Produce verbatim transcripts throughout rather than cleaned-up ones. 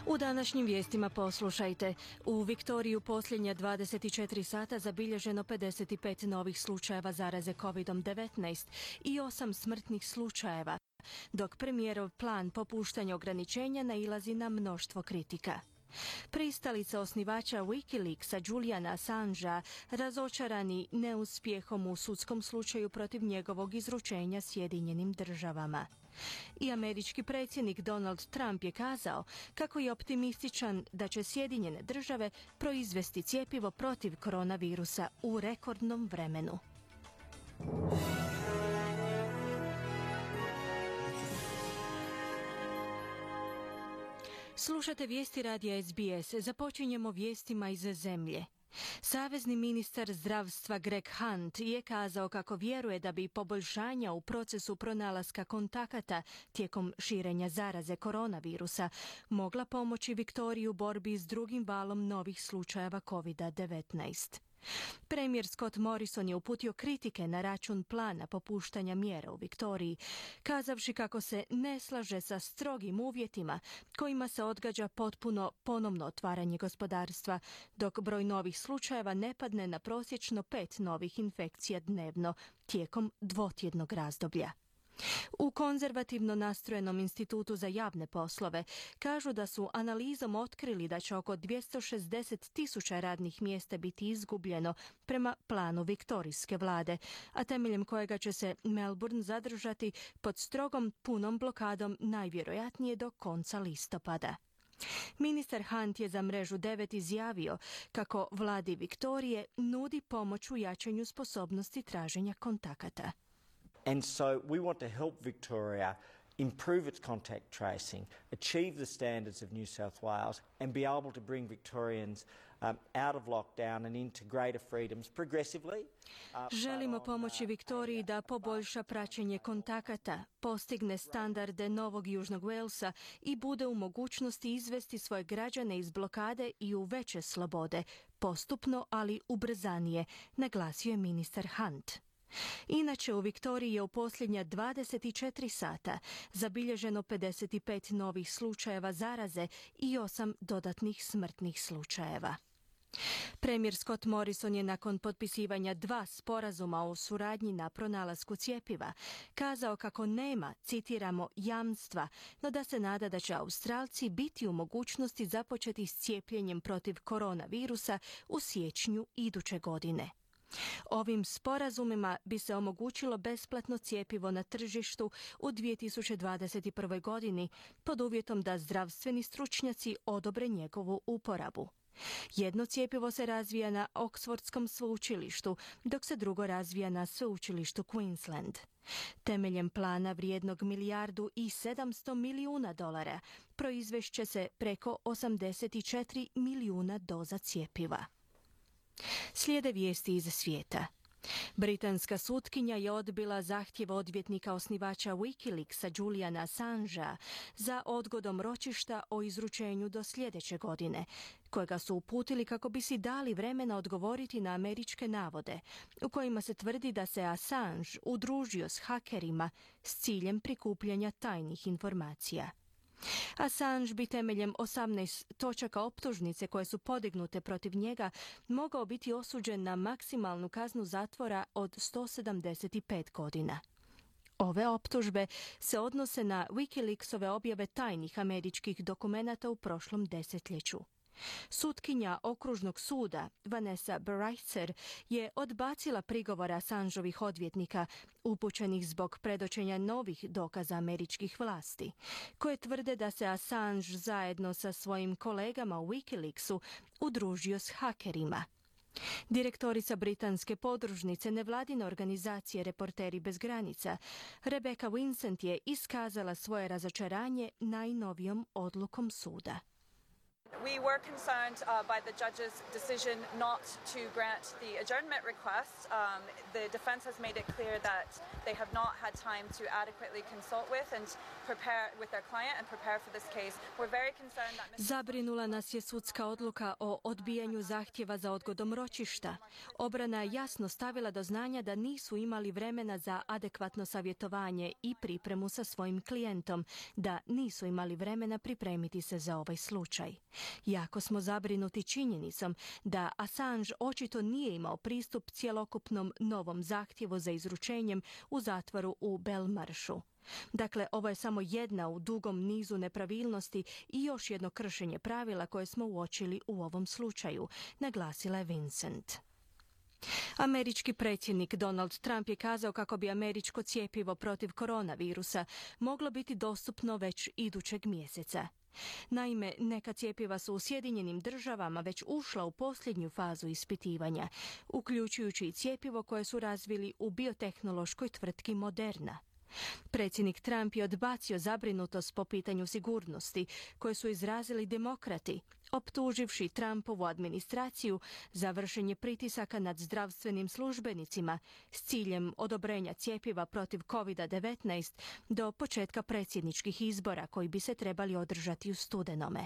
U današnjim vijestima poslušajte. U Viktoriji u posljednja dvadeset četiri sata zabilježeno pedeset pet novih slučajeva zaraze kovid devetnaest i osam smrtnih slučajeva, dok premijerov plan popuštanja ograničenja nailazi na mnoštvo kritika. Pristalica osnivača Wikileaksa Juliana Assangea razočarani neuspjehom u sudskom slučaju protiv njegovog izručenja Sjedinjenim državama. I američki predsjednik Donald Trump je kazao kako je optimističan da će Sjedinjene države proizvesti cjepivo protiv koronavirusa u rekordnom vremenu. Slušate vijesti radija S B S. Započinjemo vijestima iz zemlje. Savezni ministar zdravstva Greg Hunt je kazao kako vjeruje da bi poboljšanja u procesu pronalaska kontakata tijekom širenja zaraze koronavirusa mogla pomoći Viktoriji u borbi s drugim valom novih slučajeva kovid devetnaest. Premijer Scott Morrison je uputio kritike na račun plana popuštanja mjera u Viktoriji, kazavši kako se ne slaže sa strogim uvjetima kojima se odgađa potpuno ponovno otvaranje gospodarstva, dok broj novih slučajeva ne padne na prosječno pet novih infekcija dnevno tijekom dvotjednog razdoblja. U konzervativno nastrojenom institutu za javne poslove kažu da su analizom otkrili da će oko dvjesto šezdeset tisuća radnih mjesta biti izgubljeno prema planu viktorijske vlade, a temeljem kojega će se Melbourne zadržati pod strogom punom blokadom najvjerojatnije do konca listopada. Ministar Hunt je za mrežu devet izjavio kako vladi Viktorije nudi pomoć u jačanju sposobnosti traženja kontakata. And so we want to help Victoria improve its contact tracing, achieve the standards of New South Wales and be able to bring Victorians um, out of lockdown and into greater freedoms progressively. Uh, Želimo pomoći Viktoriji da poboljša praćenje kontakata, postigne standarde Novog Južnog Walesa i bude u mogućnosti izvesti svoje građane iz blokade i u veće slobode, postupno ali ubrzanije, naglasio je ministar Hunt. Inače, u Viktoriji je u posljednja dvadeset četiri sata zabilježeno pedeset pet novih slučajeva zaraze i osam dodatnih smrtnih slučajeva. Premijer Scott Morrison je nakon potpisivanja dva sporazuma o suradnji na pronalasku cjepiva kazao kako nema, citiramo, jamstva, no da se nada da će Australci biti u mogućnosti započeti s cijepljenjem protiv koronavirusa u siječnju iduće godine. Ovim sporazumima bi se omogućilo besplatno cjepivo na tržištu u dvije tisuće dvadeset prvoj. godini pod uvjetom da zdravstveni stručnjaci odobre njegovu uporabu. Jedno cjepivo se razvija na Oxfordskom sveučilištu, dok se drugo razvija na sveučilištu Queensland. Temeljem plana vrijednog milijardu i sedamsto milijuna dolara proizvešće se preko osamdeset četiri milijuna doza cjepiva. Slijede vijesti iz svijeta. Britanska sutkinja je odbila zahtjev odvjetnika osnivača Wikileaksa Juliana Assangea za odgodom ročišta o izručenju do sljedeće godine, kojega su uputili kako bi si dali vremena odgovoriti na američke navode, u kojima se tvrdi da se Assange udružio s hakerima s ciljem prikupljanja tajnih informacija. Assange bi temeljem osamnaest točaka optužnice koje su podignute protiv njega mogao biti osuđen na maksimalnu kaznu zatvora od sto sedamdeset pet godina. Ove optužbe se odnose na Wikileaksove objave tajnih američkih dokumenata u prošlom desetljeću. Sutkinja okružnog suda Vanessa Baraitser je odbacila prigovor Assangeovih odvjetnika upućenih zbog predočenja novih dokaza američkih vlasti, koje tvrde da se Assange zajedno sa svojim kolegama u Wikileaksu udružio s hakerima. Direktorica britanske podružnice nevladine organizacije Reporteri bez granica, Rebecca Vincent, je iskazala svoje razočaranje najnovijom odlukom suda. We were concerned uh, by the judge's decision not to grant the adjournment request. Um, the defense has made it clear that they have not had time to adequately consult with and prepare with their client and prepare for this case. We're very concerned that Mister Zabrinula nas je sudska odluka o odbijanju zahtjeva za odgodom ročišta. Obrana je jasno stavila do znanja da nisu imali vremena za adekvatno savjetovanje i pripremu sa svojim klijentom, da nisu imali vremena pripremiti se za ovaj slučaj. Jako smo zabrinuti činjenicom da Assange očito nije imao pristup cjelokupnom novom zahtjevu za izručenjem u zatvoru u Belmaršu. Dakle, ovo je samo jedna u dugom nizu nepravilnosti i još jedno kršenje pravila koje smo uočili u ovom slučaju, naglasila je Vincent. Američki predsjednik Donald Trump je kazao kako bi američko cjepivo protiv koronavirusa moglo biti dostupno već idućeg mjeseca. Naime, neka cjepiva su u Sjedinjenim državama već ušla u posljednju fazu ispitivanja, uključujući i cjepivo koje su razvili u biotehnološkoj tvrtki Moderna. Predsjednik Trump je odbacio zabrinutost po pitanju sigurnosti koje su izrazili demokrati, optuživši Trumpovu administraciju za vršenje pritisaka nad zdravstvenim službenicima s ciljem odobrenja cjepiva protiv kovid devetnaest do početka predsjedničkih izbora koji bi se trebali održati u studenome.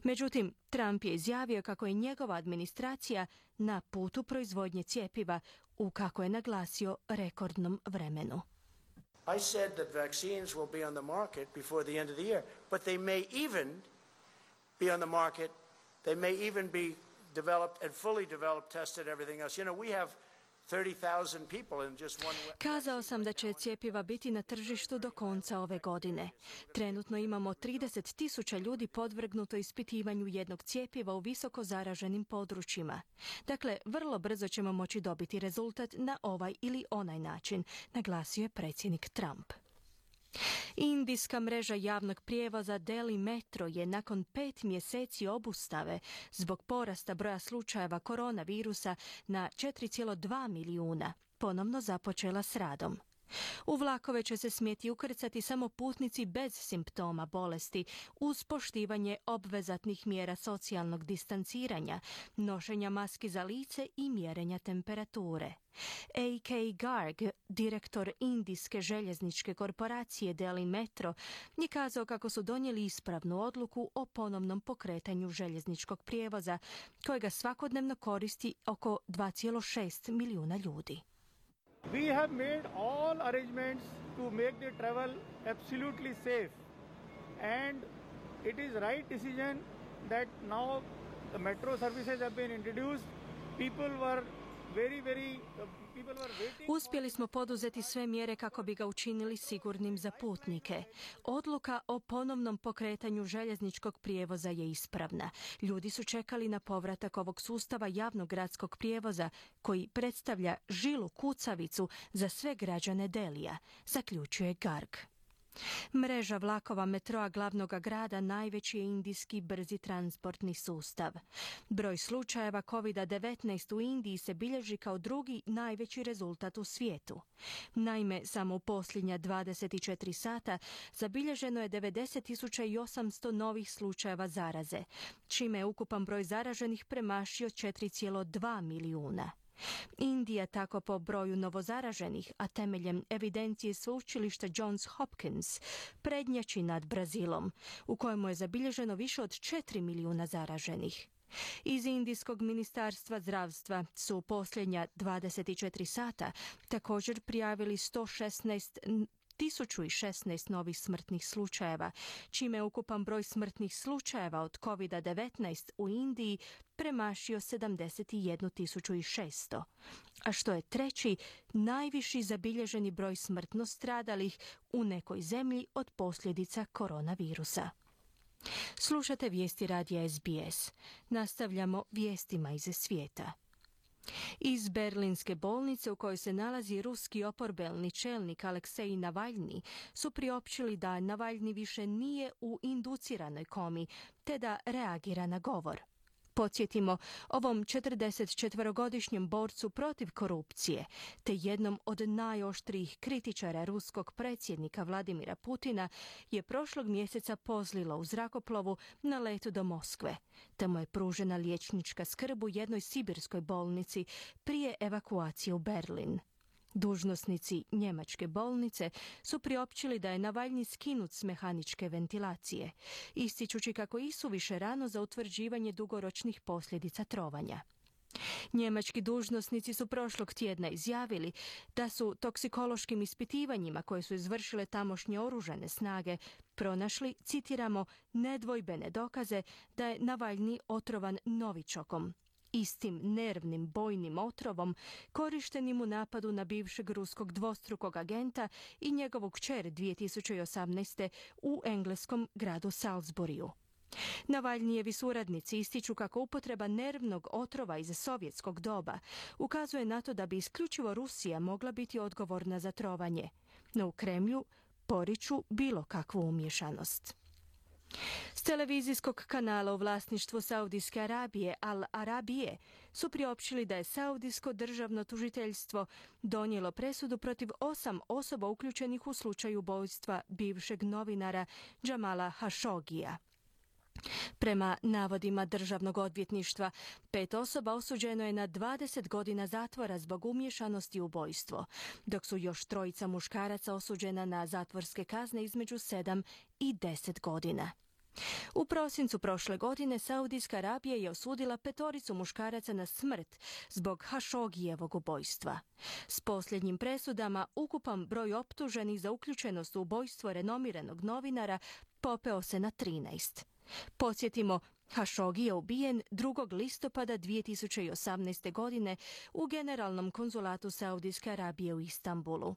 Međutim, Trump je izjavio kako je njegova administracija na putu proizvodnje cjepiva u, kako je naglasio, rekordnom vremenu. I said that vaccines will be on the market before the end of the year, but they may even be on the market, they may even be developed and fully developed, tested, everything else. You know, we have thirty thousand people in just one... Kazao sam da će cjepiva biti na tržištu do konca ove godine. Trenutno imamo trideset tisuća ljudi podvrgnuto ispitivanju jednog cjepiva u visoko zaraženim područjima. Dakle, vrlo brzo ćemo moći dobiti rezultat na ovaj ili onaj način, naglasio je predsjednik Trump. Indijska mreža javnog prijevoza Delhi Metro je nakon pet mjeseci obustave zbog porasta broja slučajeva koronavirusa na četiri zarez dva milijuna ponovno započela s radom. U vlakove će se smjeti ukrcati samo putnici bez simptoma bolesti uz poštivanje obvezatnih mjera socijalnog distanciranja, nošenja maski za lice i mjerenja temperature. A K Garg, direktor indijske željezničke korporacije Delhi Metro, je kazao kako su donijeli ispravnu odluku o ponovnom pokretanju željezničkog prijevoza, kojega svakodnevno koristi oko dva zarez šest milijuna ljudi. We have made all arrangements to make the travel absolutely safe, and it is right decision that now the metro services have been introduced. People were very, very uh, people were waiting. Uspjeli smo poduzeti sve mjere kako bi ga učinili sigurnim za putnike. Odluka o ponovnom pokretanju željezničkog prijevoza je ispravna. Ljudi su čekali na povratak ovog sustava javnog gradskog prijevoza koji predstavlja žilu kucavicu za sve građane Delija, zaključuje Garg. Mreža vlakova metroa glavnog grada najveći je indijski brzi transportni sustav. Broj slučajeva kovid devetnaest u Indiji se bilježi kao drugi najveći rezultat u svijetu. Naime, samo u posljednja dvadeset četiri sata zabilježeno je devedeset tisuća osamsto novih slučajeva zaraze, čime je ukupan broj zaraženih premašio četiri zarez dva milijuna. Indija tako po broju novozaraženih, a temeljem evidencije sveučilišta Johns Hopkins, prednjači nad Brazilom, u kojemu je zabilježeno više od četiri milijuna zaraženih. Iz Indijskog ministarstva zdravstva su u posljednja dvadeset četiri sata također prijavili sto šesnaest tisuću šesnaest novih smrtnih slučajeva, čime je ukupan broj smrtnih slučajeva od kovid devetnaest u Indiji premašio sedamdeset jednu tisuću šesto, a što je treći najviši zabilježeni broj smrtno stradalih u nekoj zemlji od posljedica koronavirusa. Slušate vijesti radija S B S. Nastavljamo vijestima iz svijeta. Iz berlinske bolnice u kojoj se nalazi ruski oporbeni čelnik Aleksej Navalni su priopćili da Navalni više nije u induciranoj komi, te da reagira na govor. Podsjetimo, ovom četrdesetčetvorogodišnjem borcu protiv korupcije, te jednom od najoštrijih kritičara ruskog predsjednika Vladimira Putina, je prošlog mjeseca pozlilo u zrakoplovu na letu do Moskve, te mu je pružena liječnička skrb u jednoj sibirskoj bolnici prije evakuacije u Berlin. Dužnosnici njemačke bolnice su priopćili da je Navalnji skinut s mehaničke ventilacije, ističući kako i suviše rano za utvrđivanje dugoročnih posljedica trovanja. Njemački dužnosnici su prošlog tjedna izjavili da su toksikološkim ispitivanjima koje su izvršile tamošnje oružane snage pronašli, citiramo, nedvojbene dokaze da je Navalnji otrovan novičokom, istim nervnim bojnim otrovom korištenim u napadu na bivšeg ruskog dvostrukog agenta i njegovu kćer dvije tisuće osamnaeste. u engleskom gradu Salisburyu. Navalnjijevi suradnici ističu kako upotreba nervnog otrova iz sovjetskog doba ukazuje na to da bi isključivo Rusija mogla biti odgovorna za trovanje, no u Kremlju poriču bilo kakvu umješanost. S televizijskog kanala u vlasništvu Saudijske Arabije Al Arabije su priopćili da je Saudijsko državno tužiteljstvo donijelo presudu protiv osam osoba uključenih u slučaju ubojstva bivšeg novinara Jamala Khashogija. Prema navodima državnog odvjetništva, pet osoba osuđeno je na dvadeset godina zatvora zbog umješanosti u ubojstvo, dok su još trojica muškaraca osuđena na zatvorske kazne između sedam i deset godina. U prosincu prošle godine Saudijska Arabija je osudila petoricu muškaraca na smrt zbog Khashogijevog ubojstva. S posljednjim presudama ukupan broj optuženih za uključenost u ubojstvo renomiranog novinara popeo se na trinaest. Podsjetimo, Khashoggi je ubijen drugog listopada dvije tisuće osamnaeste. godine u Generalnom konzulatu Saudijske Arabije u Istanbulu.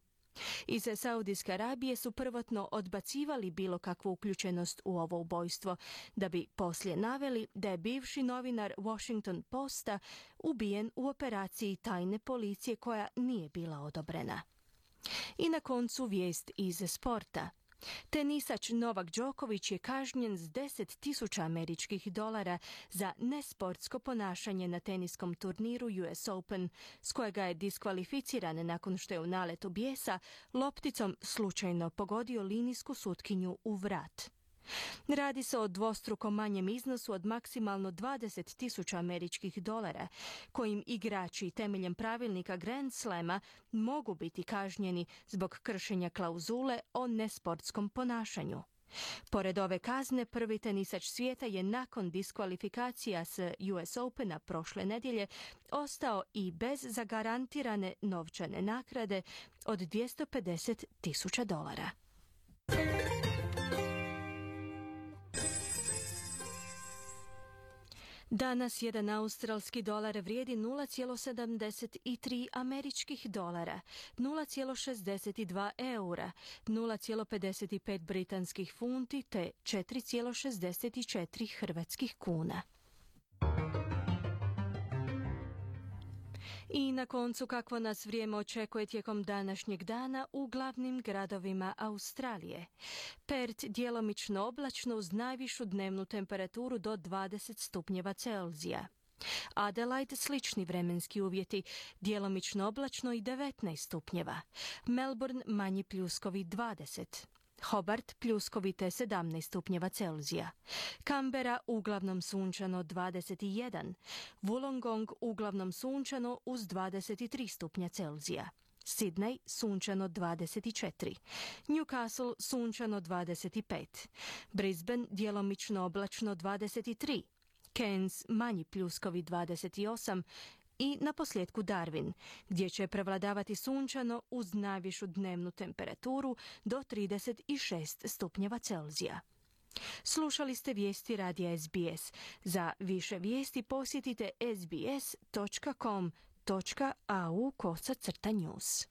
Iz Saudijske Arabije su prvotno odbacivali bilo kakvu uključenost u ovo ubojstvo, da bi poslije naveli da je bivši novinar Washington Posta ubijen u operaciji tajne policije koja nije bila odobrena. I na koncu vijest iz sporta. Tenisač Novak Đoković je kažnjen s deset tisuća američkih dolara za nesportsko ponašanje na teniskom turniru U S Open, s kojega je diskvalificiran nakon što je u naletu bijesa lopticom slučajno pogodio linijsku sutkinju u vrat. Radi se o dvostruko manjem iznosu od maksimalno dvadeset tisuća američkih dolara, kojim igrači temeljem pravilnika Grand Slama mogu biti kažnjeni zbog kršenja klauzule o nesportskom ponašanju. Pored ove kazne, prvi tenisač svijeta je nakon diskvalifikacija s U S Opena prošle nedjelje ostao i bez zagarantirane novčane naknade od dvjesto pedeset tisuća dolara. Danas jedan australski dolar vrijedi nula zarez sedamdeset tri američkih dolara, nula zarez šezdeset dva eura, nula zarez pedeset pet britanskih funti te četiri zarez šezdeset četiri hrvatskih kuna. I na koncu kakvo nas vrijeme očekuje tijekom današnjeg dana u glavnim gradovima Australije. Perth djelomično oblačno uz najvišu dnevnu temperaturu do dvadeset stupnjeva Celzija. Adelaide slični vremenski uvjeti, djelomično oblačno i devetnaest stupnjeva. Melbourne manji pljuskovi dvadeset. Hobart pljuskovite sedamnaest stupnjeva Celzija. Canberra uglavnom sunčano dvadeset jedan. Wollongong uglavnom sunčano uz dvadeset tri stupnja Celzija. Sydney sunčano dvadeset četiri. Newcastle sunčano dvadeset pet. Brisbane djelomično oblačno dvadeset tri. Cairns manji pljuskovi dvadeset osam. I na posljedku Darwin, gdje će prevladavati sunčano uz najvišu dnevnu temperaturu do trideset šest stupnjeva Celzija. Slušali ste vijesti radija S B S. Za više vijesti posjetite s b s dot com dot a u kosa crta news.